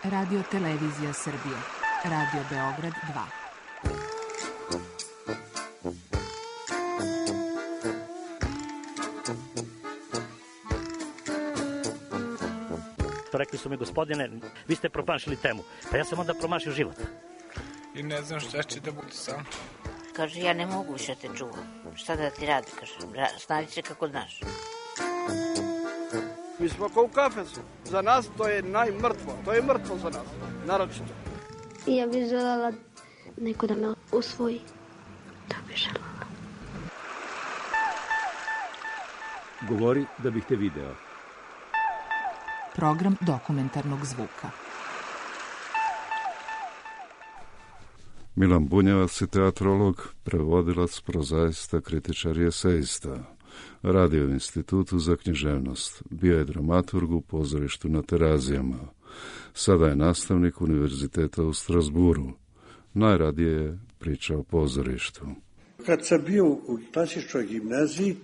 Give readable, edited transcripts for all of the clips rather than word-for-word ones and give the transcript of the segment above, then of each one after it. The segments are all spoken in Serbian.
Radio Televizija Srbije. Radio Beograd 2. Rekli su mi, gospodine, vi ste promašili temu. Pa ja sam onda promašio život. I ne znam šta će da bude sam. Kaže, ja ne mogu više te čuvam. Šta da ti radi, kaže, snađi se kako znaš. Mi smo kao u kafesu. Za nas to je najmrtvo. To je mrtvo za nas, naročito. Ja bih želela neko da me usvoji. To bih želela. Govori da bih te video. Program dokumentarnog zvuka. Milan Bunjevac je teatrolog, prevodilac, prozaista, kritičar i esejista. Radio u Institutu za književnost. Bio je dramaturg u pozorištu na Terazijama. Sada je nastavnik univerziteta u Strasburu. Najradije je priča o pozorištu. Kad sam bio u klasičnoj gimnaziji,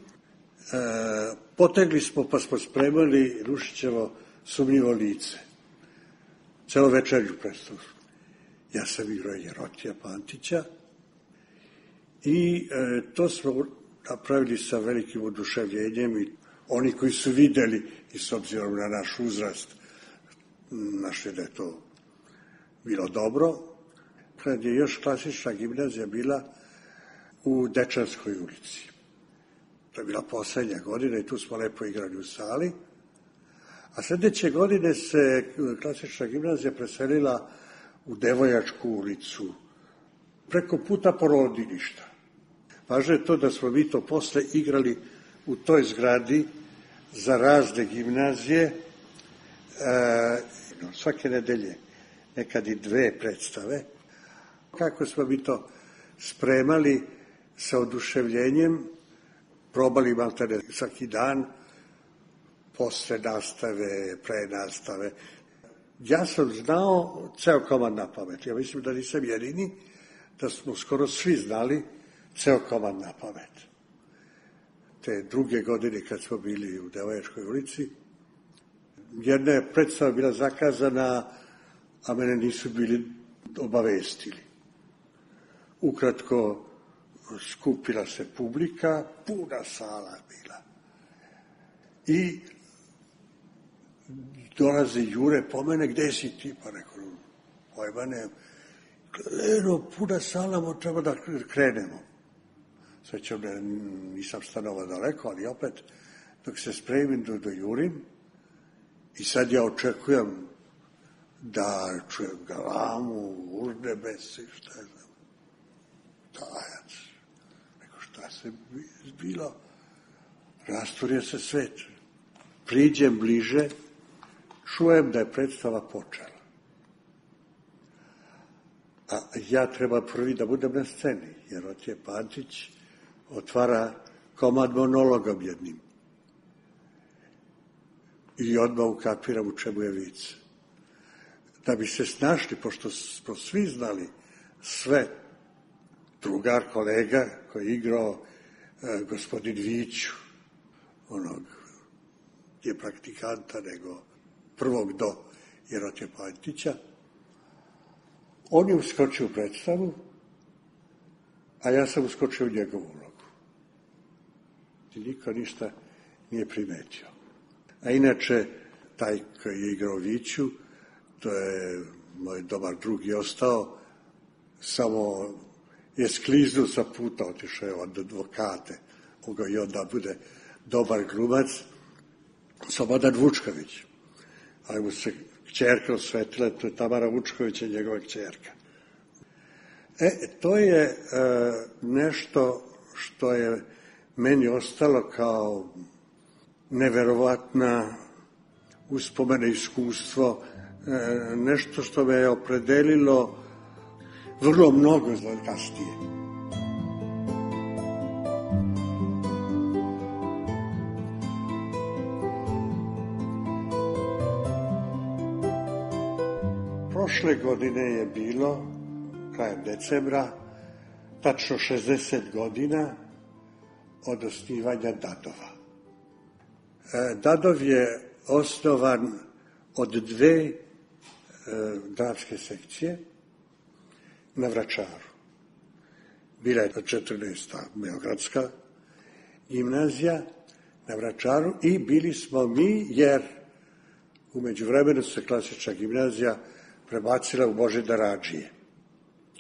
potegli smo pa smo spremali Rušićevo Sumnjivo lice. Celo večernju predstavu. Ja sam igrao Jerotija Pantića i to smo napravili sa velikim oduševljenjem i oni koji su videli i s obzirom na naš uzrast našli da je to bilo dobro. Kad je još klasična gimnazija bila u Dečanskoj ulici. To je bila poslednja godina i tu smo lepo igrali u sali. A sledeće godine se klasična gimnazija preselila u Devojačku ulicu, preko puta porodilišta. Važno je to da smo mi to posle igrali u toj zgradi za razne gimnazije, svake nedelje, nekad i 2 predstave. Kako smo mi to spremali sa oduševljenjem, probali maltene svaki dan, posle nastave, pre nastave. Ja sam znao ceo komad na pamet. Ja mislim da nisam jedini, da smo skoro svi znali ceo komad na pamet. Te druge godine kad smo bili u Devojačkoj ulici, jedna je predstava bila zakazana, a mene nisu bili obavestili. Ukratko, skupila se publika, puna sala bila. I dolaze Jure po mene, gde si ti? Pa rekao, pojma ne. Puna sala, treba da krenemo. Svećam, nisam stanovao daleko, ali opet, dok se spremim do Jurim, i sad ja očekujem da čujem galamu, urnebesi, šta je znam, tajac. Rekao, šta se bilo? Rastvorio se svet. Priđem bliže, čujem da je predstava počela. A ja treba prvi da budem na sceni, jer Otje Pantić otvara komad monologom jednim. I odmah ukapiram u čemu je vic. Da bi se snašli, pošto smo svi znali sve, drugar, kolega koji je igrao gospodin Viću, onog je praktikanta, nego prvog do Jerotija Pantića. On je uskočio u predstavu, a ja sam uskočio u njegovu ulogu. I niko ništa nije primetio. A inače, taj koji je igrao Viću, to je moj dobar drug i ostao, samo je skliznuo sa puta, otišao je od advokate, mogao i onda bude dobar glumac, Slobodan Vučković. Ali mu se kćerka osvetila, to je Tamara Vučković i njegova kćerka. To je nešto što je meni ostalo kao neverovatna uspomena, iskustvo, nešto što me je opredelilo vrlo mnogo za kasnije. Prošle godine je bilo, krajem decembra, tačno 60 godina od osnivanja Dadova. Dadov je osnovan od 2 dramske sekcije na Vračaru. Bila je 14. Beogradska gimnazija na Vračaru i bili smo mi, jer u međuvremenu se klasična gimnazija prebacila u Božidar Adžije.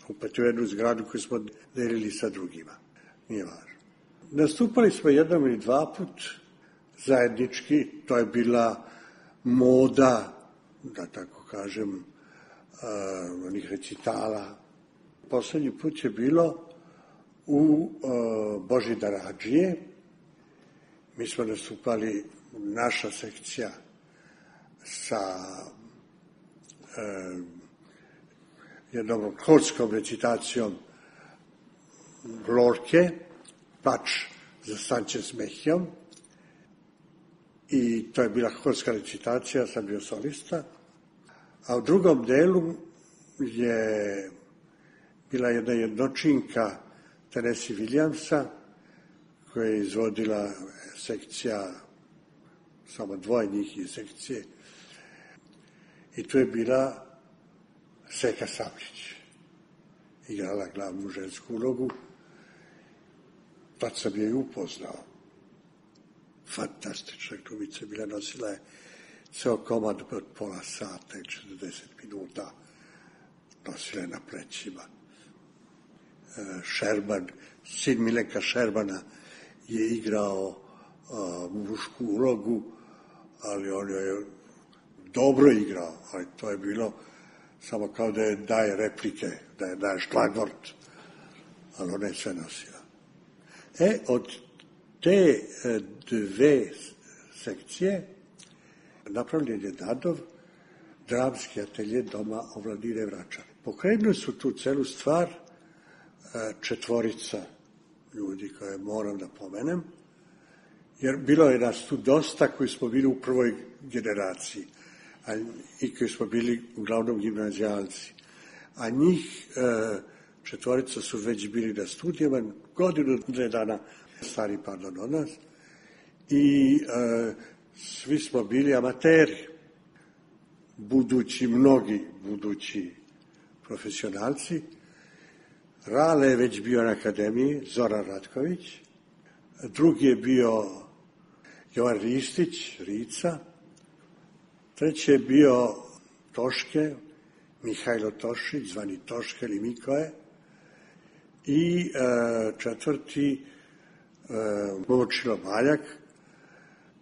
Opet u jednu zgradu koju smo delili sa drugima. Nije važno. Nastupali smo jednom ili dva put zajednički, to je bila moda, da tako kažem, onih recitala. Poslednji put je bilo u Božidar Adžije. Mi smo nastupali, naša sekcija, sa jednom horskom recitacijom Lorke, Pač za Sanče s Mehijom. I to je bila horska recitacija, sam bio solista. A u drugom delu je bila jedna jednočinka Tennessee Williamsa, koja je izvodila sekcija, samo dvoje njih iz sekcije. I tu je bila Seka Sablić. Igrala glavnu žensku ulogu. Tad sam je i upoznao. Fantastična glumica bila, nosila je ceo komad od pola sata i 40 minuta. Nosila je na plećima. Šerban, sin Milenka Šerbana je igrao mušku ulogu, ali on je dobro igrao, ali to je bilo samo kao da je daje replike, da je daje šlagvort, ali ona je sve nosila. Od te dve sekcije napravljen je Dadov dramski atelje Doma omladine Vračar. Pokrenuli su tu celu stvar četvorica ljudi koje moram da pomenem, jer bilo je nas tu dosta koji smo bili u prvoj generaciji i koji smo bili uglavnom gimnazijalci. A njih četvorica su već bili na studijama, godinu, 2 dana stari od nas, i svi smo bili amateri, mnogi budući profesionalci. Rale je već bio na akademiji, Zoran Ratković, drugi je bio Jovan Ristić, Rica, treći je bio Toške, Mihajlo Tošić, zvani Toške ili Mikoje, i četvrti Momčilo Maljak,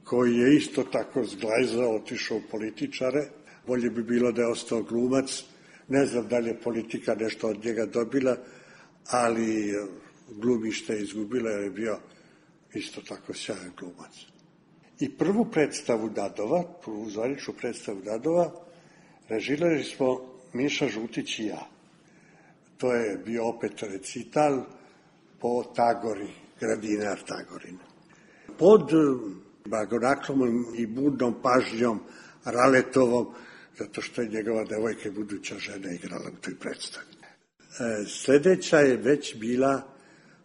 koji je isto tako zglajzao, otišao u političare. Bolje bi bilo da je ostao glumac. Ne znam da li je politika nešto od njega dobila, ali glumište je izgubila jer je bio isto tako sjajan glumac. I prvu predstavu Dadova, prvu zvaničnu predstavu Dadova, režirali smo Miša Žutić i ja. To je bio opet recital po Tagori, Gradinar Tagorin. Pod blagonaklomom i budnom pažnjom Raletovom, zato što je njegova devojka i buduća žena igrala u toj predstavi. Sledeća je već bila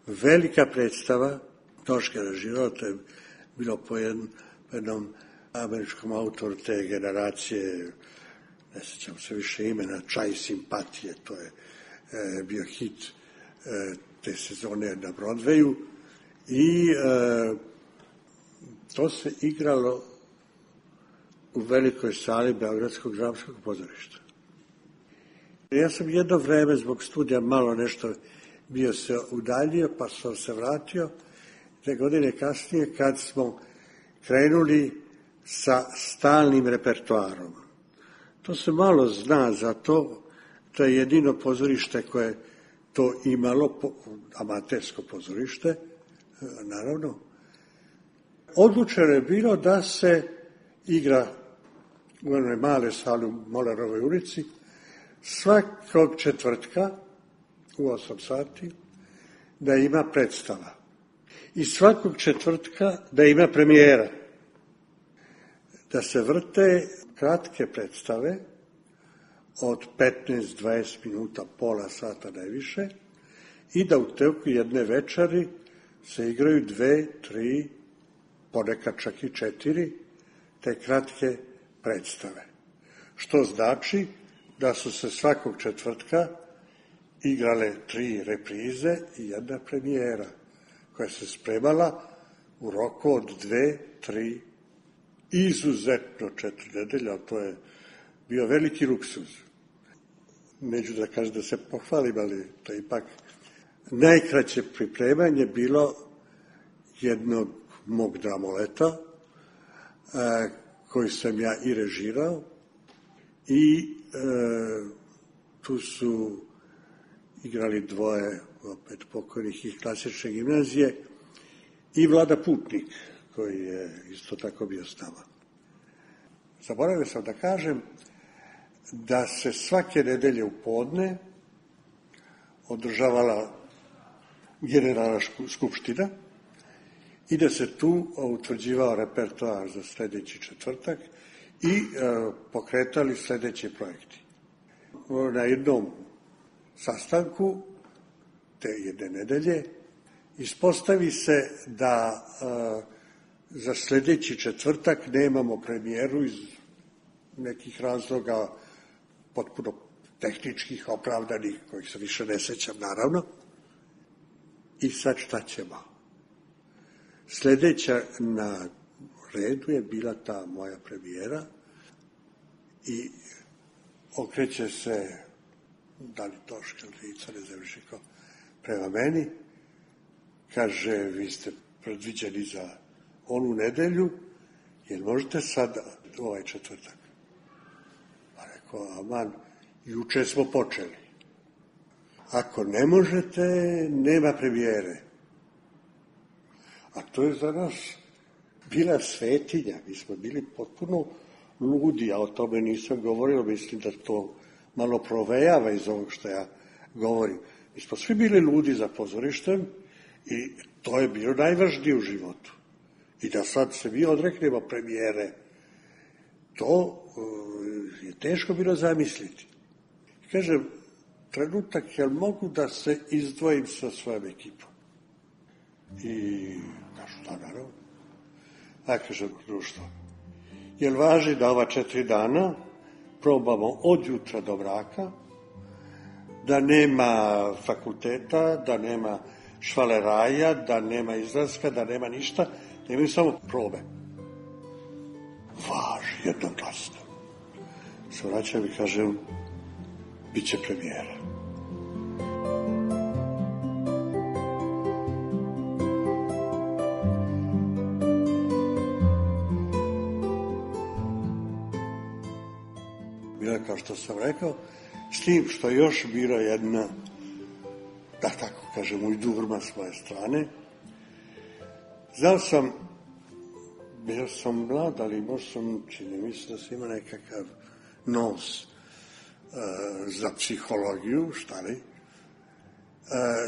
velika predstava, Toške režirao, to je bilo po jednom američkom autoru te generacije, ne sjećam se više imena, Čaj simpatije, to je bio hit te sezone na Broadwayu, i to se igralo u velikoj sali Beogradskog dramskog pozorišta. Ja sam jedno vreme zbog studija malo nešto bio se udaljio, pa sam se vratio 2 godine kasnije kad smo krenuli sa stalnim repertoarom. To se malo zna za to, to je jedino pozorište koje to imalo, amatersko pozorište, naravno. Odlučeno je bilo da se igra u onoj male sali u Molarovoj ulici svakog četvrtka u 8 sati da ima predstava. I svakog četvrtka da ima premijera. Da se vrte kratke predstave od 15-20 minuta, pola sata najviše, i da u toku jedne večeri se igraju 2, 3, ponekad čak i 4 te kratke predstave. Što znači da su se svakog četvrtka igrale 3 reprize i 1 premijera, koja se spremala u roku od 2, 3, izuzetno 4 nedelje, ali to je bio veliki luksuz. Neću da kažem da se pohvalim, ali to je ipak najkraće pripremanje bilo jednog mog dramoleta, koji sam ja i režirao, i tu su igrali 2 opet pokojnih iz klasične gimnazije i Vlada Putnik, koji je isto tako bio s nama. Zaboravio sam da kažem da se svake nedelje u podne održavala generalna skupština i da se tu utvrđivao repertoar za sledeći četvrtak i pokretali sledeći projekti. Na jednom sastanku te jedne nedelje ispostavi se da za sledeći četvrtak nemamo premijeru iz nekih razloga potpuno tehničkih, opravdanih, kojih se više ne sećam, naravno. I sad šta ćemo? Sledeća na redu je bila ta moja premijera i okreće se da li Toška ili Ica, ne znam više ko, prema meni, kaže, vi ste predviđeni za onu nedelju, jer možete sad ovaj četvrtak? Pa rekao, aman, juče smo počeli. Ako ne možete, nema premijere. A to je za nas bila svetinja. Mi smo bili potpuno ludi, ja o tome nisam govorio, mislim da to malo provejava iz ovog što ja govorim. Mi smo svi bili ludi za pozorištem i to je bilo najvažnije u životu. I da sad se mi odreknemo premijere, to je teško bilo zamisliti. Kažem, trenutak, jel mogu da se izdvojim sa svojom ekipom? I kažu, da, naravno. A kažem, društvo, jel važi da ova 4 dana probamo od jutra do mraka, da nema fakulteta, da nema švaleraja, da nema izlaska, da nema ništa, da imaju samo probe. Važi, jednoglasno. Se vraćam i kažem, bit će premijera. Bila, kao što sam rekao, s tim što je još bila jedna, da tako kažem, ujdurma s moje strane. Znao sam, bio sam mlad, ali možda sam, čini mislim da sam imao nekakav nos za psihologiju, šta li.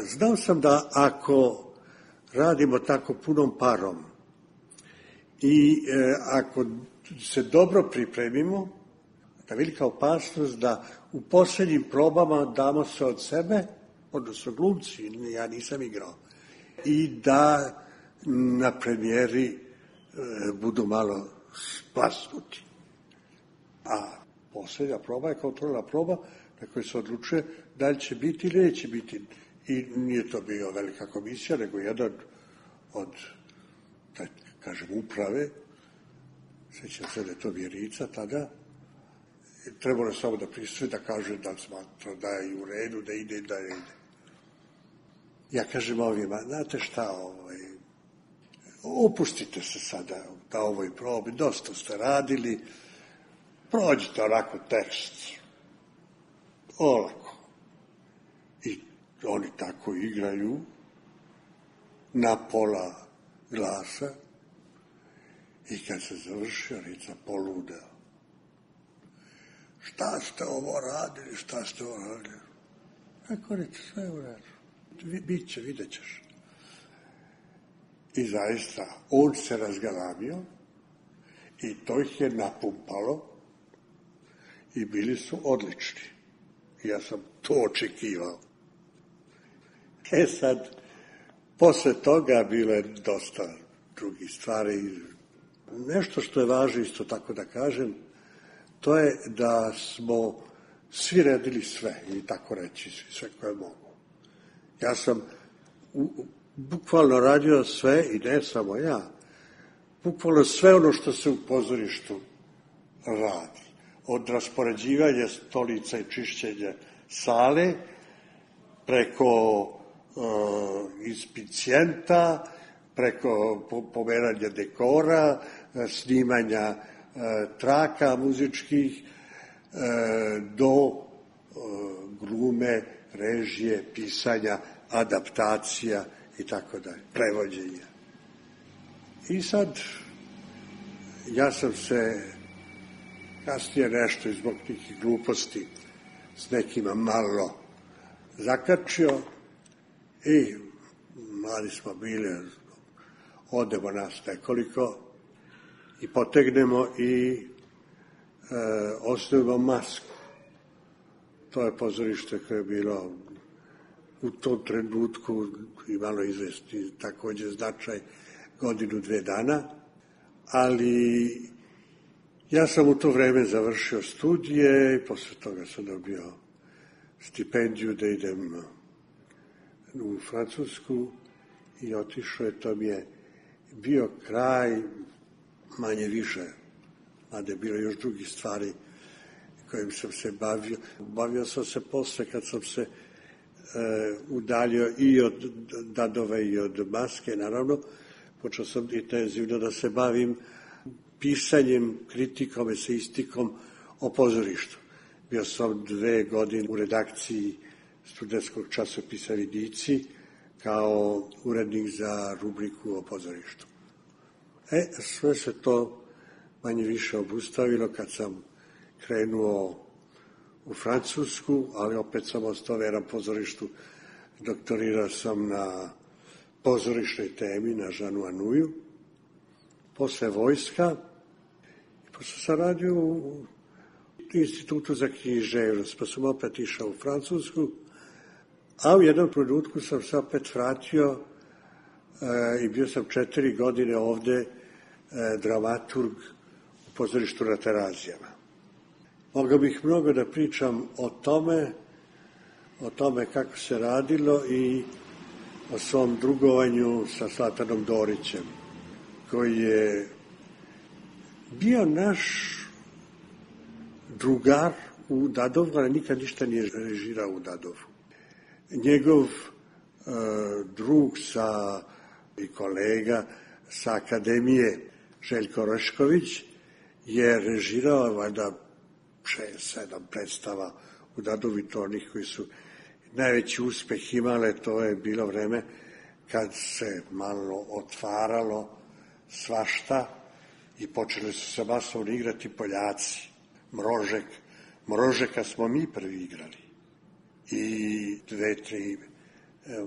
Znao sam da ako radimo tako punom parom i ako se dobro pripremimo, da velika opasnost da u poslednjim probama damo se od sebe, odnosno glumci, ja nisam igrao, i da na premijeri budu malo splasnuti. A poslednja proba je kontrolna proba na kojoj se odlučuje da li će biti ili neće biti. I nije to bio velika komisija, nego jedan od, da kažem, uprave, sećam se da je to Vjerica tada, trebalo je samo da prisutuje, da kaže da smatra da je u redu, da ide, da ne ide. Ja kažem ovima, znate šta, opustite se sada na ovoj probi, dosta ste radili, prođite onako tekst, olako. I oni tako igraju na pola glasa i kad se završio, Rica poludeo. Šta ste ovo radili, šta ste ovo radili? Rekao, Rica, sve je u redu. Biće, vidjet ćeš. I zaista, on se razgalamio i to ih je napumpalo i bili su odlični. Ja sam to očekivao. Sad, posle toga bilo je dosta drugih stvari. Nešto što je važno isto tako da kažem, to je da smo svi radili sve, ili tako reći, sve koje mogu. Ja sam bukvalno radio sve, i ne samo ja, bukvalno sve ono što se u pozorištu radi. Od raspoređivanja stolica i čišćenja sale, preko inspicijenta, preko pomeranja dekora, snimanja traka muzičkih, do glume, režije, pisanja, adaptacija i tako dalje, prevođenja. I sad, ja sam se kasnije nešto zbog nekih gluposti s nekima malo zakačio i mladi smo bili, odemo nas nekoliko i potegnemo i osnovimo Masku. To je pozorište koje je bilo u tom trenutku imalo izvesti takođe značaj godinu, 2 dana, ali ja sam u to vreme završio studije i posle toga sam dobio stipendiju da idem u Francusku i otišao je, to mi je bio kraj manje više, mada je bilo još drugih stvari kojim sam se bavio. Bavio sam se posle kad sam se udaljio i od Dadove i od Maske, naravno, počeo sam intenzivno da se bavim pisanjem, kritikom, eseistikom o pozorištu. Bio sam 2 godine u redakciji studentskog časopisa Vidici kao urednik za rubriku o pozorištu. Sve se to manje više obustavilo kad sam krenuo u Francusku, ali opet sam ostao veran pozorištu. Doktorirao sam na pozorišnoj temi, na Jeanu Anouilhu, posle vojska, i posle sam radio u Institutu za književnost, pa sam opet išao u Francusku, a u jednom trenutku sam se opet vratio i bio sam 4 godine ovde dramaturg u pozorištu na Terazijama. Mogao bih mnogo da pričam o tome kako se radilo i o svom drugovanju sa Zlatanom Dorićem, koji je bio naš drugar u Dadovu, ali nikad ništa nije režirao u Dadovu. Njegov drug i kolega sa akademije, Željko Rešković, je režirao valjda 6-7 predstava u Dadovi, to onih koji su najveći uspeh imale. To je bilo vreme kad se malo otvaralo svašta i počeli su se masovno igrati Poljaci. Mrožeka smo mi prvi igrali. I 2-3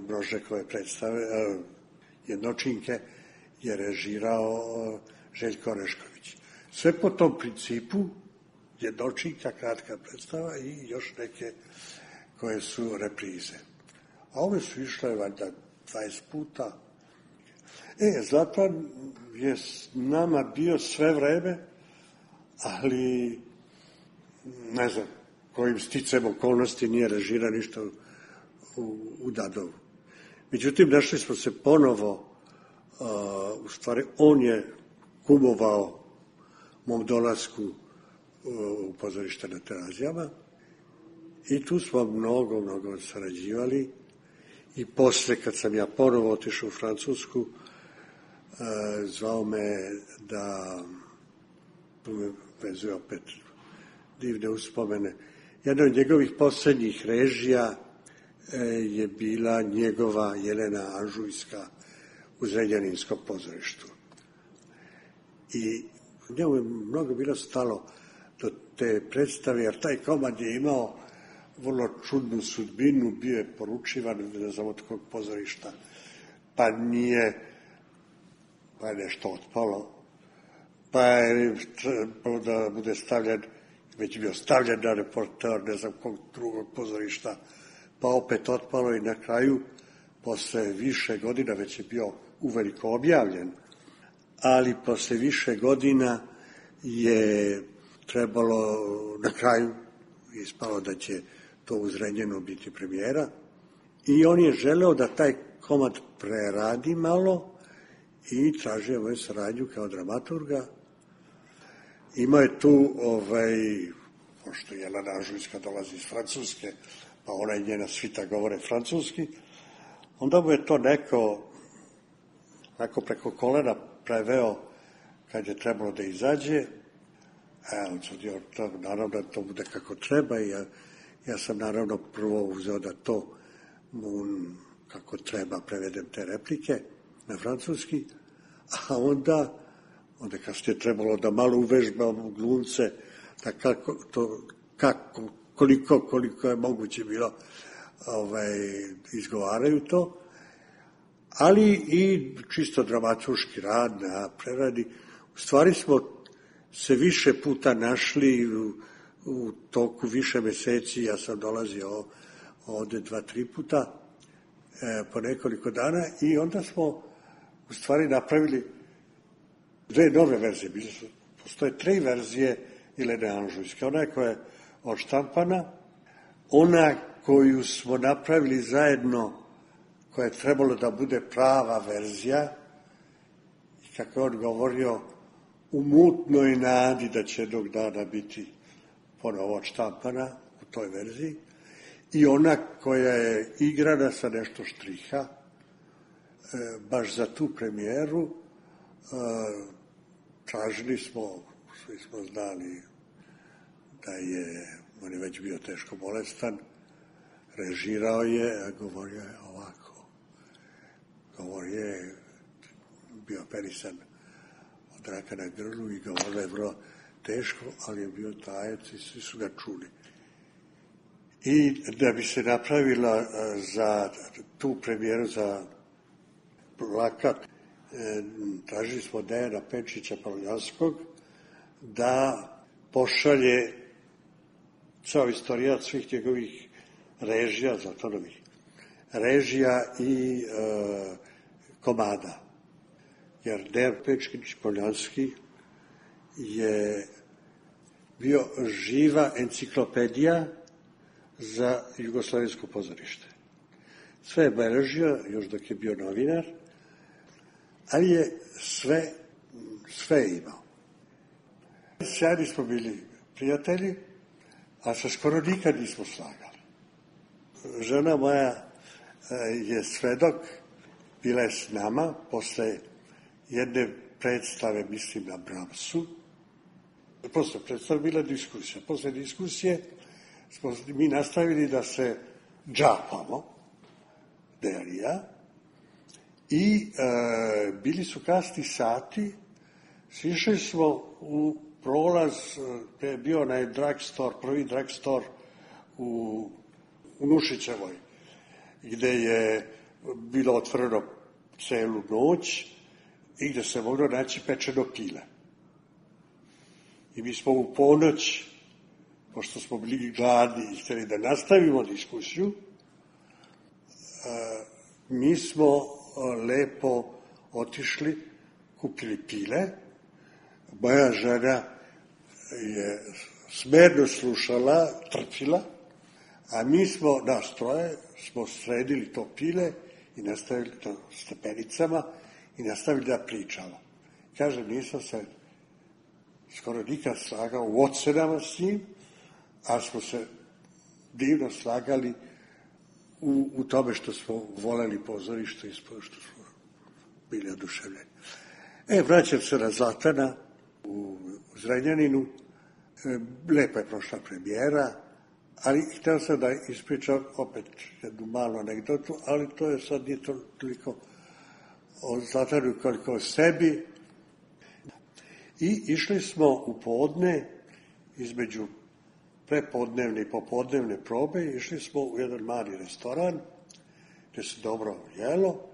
Mrožekove predstave, jednočinke, je režirao Željko Rešković. Sve po tom principu, jednočinka, kratka predstava i još neke koje su reprize. A ove su išle valjda 20 puta. Zlatan je s nama bio sve vreme, ali ne znam kojim sticam okolnosti nije režirao ništa u Dadovu. Međutim, našli smo se ponovo, u stvari on je kumovao mom dolasku u pozorište na Terazijama i tu smo mnogo sarađivali i posle kad sam ja ponovo otišao u Francusku, zvao me da me vezuje opet divne uspomene. Jedna od njegovih poslednjih režija je bila njegova Jelena Anžujska u Zrenjaninskom pozorištu. I njemu je mnogo bilo stalo do te predstave, jer taj komad je imao vrlo čudnu sudbinu, bio je poručivan, ne znam od kog pozorišta, pa je nešto otpalo, pa je da bude stavljen, već bio stavljen na reporter, ne znam kog drugog pozorišta, pa opet otpalo i na kraju, posle više godina, već je bio uveliko objavljen, ali posle više godina je trebalo na kraju ispalo da će to u Zrenjaninu biti premijera. I on je želeo da taj komad preradi malo i tražio moju saradnju kao dramaturga. Imao je tu, pošto Jelena Anžujska dolazi iz Francuske, pa ona i njena svita govore francuski, onda mu je to neko preko kolena preveo kad je trebalo da izađe. On sudio, naravno da to bude kako treba i ja sam naravno prvo uzeo da to kako treba prevedem te replike na francuski, a onda kasnije je trebalo da malo uvežbam glumce, da koliko je moguće bilo izgovaraju to, ali i čisto dramaturški rad na preradi. U stvari smo se više puta našli u toku više meseci, ja sam dolazio ovde 2-3 puta po nekoliko dana i onda smo u stvari napravili 2 nove verzije. Postoje 3 verzije Jelene Anžujske. Ona koja je odštampana, ona koju smo napravili zajedno, koja je trebalo da bude prava verzija, i kako je on govorio, u mutnoj nadi da će jednog dana biti ponovo odštampana u toj verziji, i ona koja je igrana sa nešto štriha, baš za tu premijeru. Tražili smo, svi smo znali da on je već bio teško bolestan, režirao je, a govorio je ovako. Govorio je, bio operisan od raka na grlu i govorio je vrlo teško, ali je bio tajac i svi su ga čuli. I da bi se napravila za tu premijeru za plakat, tražili smo Dejana Pečića Pavljanskog da pošalje ceo istorijat svih njegovih režija, Zlatanovih režija i komada. Jer Dejan Pečić Pavljanski je bio živa enciklopedija za jugoslovensko pozorište. Sve je beležio, još dok je bio novinar, ali je sve imao. Sjajni smo bili prijatelji, a se skoro nikad nismo slagali. Žena moja je svedok, bila je s nama posle jedne predstave, mislim na Bramsu. Posle predstave bila diskusija. Posle diskusije smo mi nastavili da se džapamo, Dejan i ja, i bili su kasni sati, sišli smo u prolaz, gde je bio onaj drugstore, prvi drugstore u Nušićevoj, gde je bilo otvoreno celu noć i gde se moglo naći pečeno pile. I mi smo u ponoć, pošto smo bili gladni i hteli da nastavimo diskusiju, mi smo lepo otišli, kupili pile. Moja žena je smerno slušala, trpila, a mi smo, nas troje, smo sredili to pile i nastavili na stepenicama i nastavili da pričamo. Kažem, nisam se skoro nikad slagao u ocenama s njim, a smo se divno slagali u tome što smo voleli pozorište i što smo bili oduševljeni. Vraćam se na Zlatana u Zrenjaninu. Lepo je prošla premijera, ali hteo sam da ispričam opet jednu malu anegdotu, ali to je sad nije toliko o Zlatanu koliko o sebi. I išli smo u podne, između prepodnevne i popodnevne probe, išli smo u jedan mali restoran, gde se dobro jelo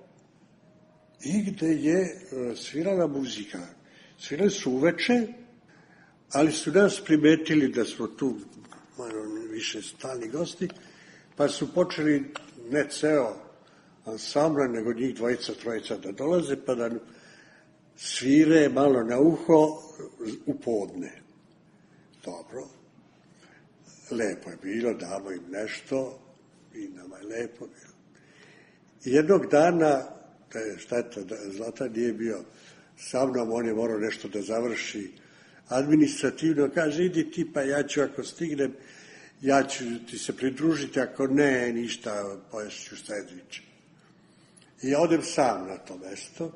i gde je svirala muzika. Svirali su uveče, ali su nas primetili da smo tu više stalni gosti, pa su počeli ne ceo ansambla, nego njih dvojica, trojica da dolaze, pa da svire malo na uho u podne. Dobro. lepo je bilo, damo im nešto i nama je lepo bilo. I jednog dana, to je šteta, Zlatan nije bio sa mnom, on je morao nešto da završi administrativno, kaže, idi ti, pa ja ću ako stignem, ja ću ti se pridružiti, ako ne, ništa, poješću sendviče. I ja odem sam na to mesto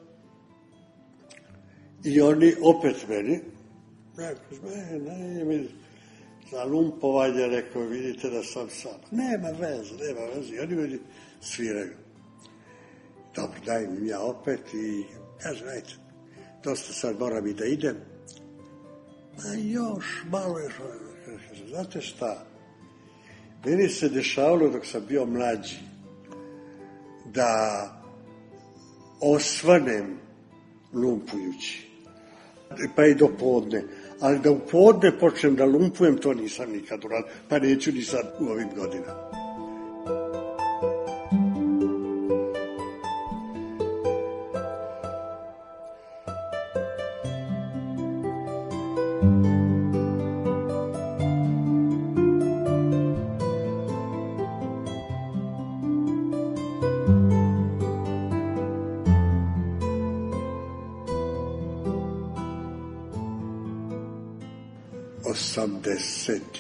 i oni opet meni, ne, za lumpovanje, rekao, vidite da sam sam. Nema veze. I oni meni sviraju. Dobro, dajem im ja opet i kažem, ajde, dosta sad moram i da idem. A još, malo još. Znate šta? Meni se dešavalo dok sam bio mlađi da osvanem lumpujući. Pa i do podne. Ali da u podne počnem da lumpujem, to nisam nikad uradio. Pa neću ni sad u ovim godinama.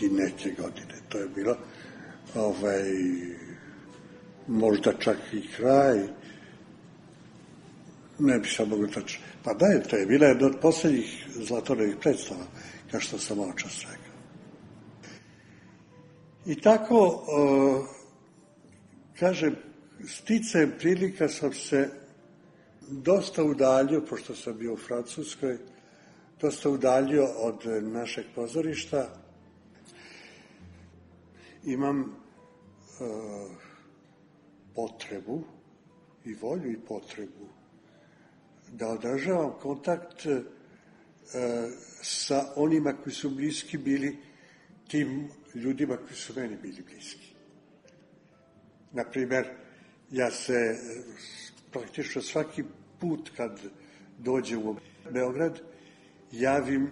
I neke godine. To je bilo možda čak i kraj, ne bi sam mogu tačno. Pa da, to je bila jedna od posljednjih Zlatanovih predstava, kao što sam malo čas rekao. I tako, kažem, sticajem prilika sam se dosta udaljio, pošto sam bio u Francuskoj, dosta udaljio od našeg pozorišta. Imam potrebu i volju i potrebu da održavam kontakt sa onima koji su bliski bili tim ljudima koji su meni bili bliski. Naprimer, ja se praktično svaki put kad dođem u Beograd javim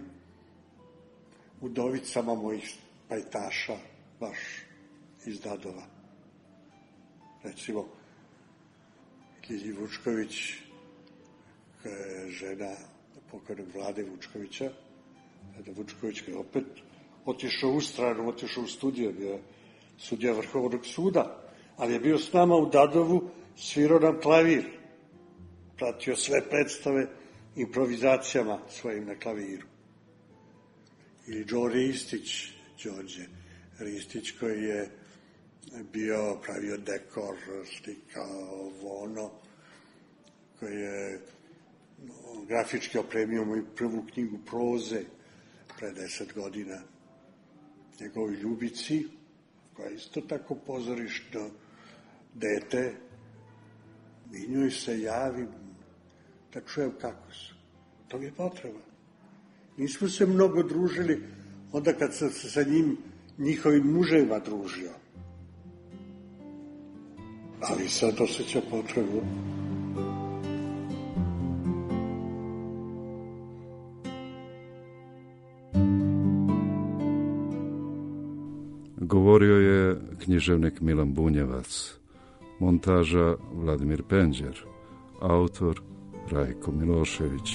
udovicama mojih pajtaša, baš iz Dadova. Recimo, Ljilji Vučković, koja je žena pokojnog Vlade Vučkovića, Vlada Vučković je opet otišao u stranu, otišao u studio, bio je sudija Vrhovnog suda, ali je bio s nama u Dadovu, svirao nam klavir, pratio sve predstave improvizacijama svojim na klaviru. Ili Đorđe Ristić, koji je bio pravio dekor, slikao, ono, koji je grafički opremio moju prvu knjigu proze pre 10 godina, njegovi Ljubici, koja je isto tako pozorišno dete, i njoj se javim da čujem kako su. To mi je potreba. Nismo se mnogo družili onda kad sam se sa njihovim muževima družio. Ali sad osjećam potrebu. Govorio je književnik Milan Bunjevac, montaža Vladimir Penđer, autor Rajko Milošević.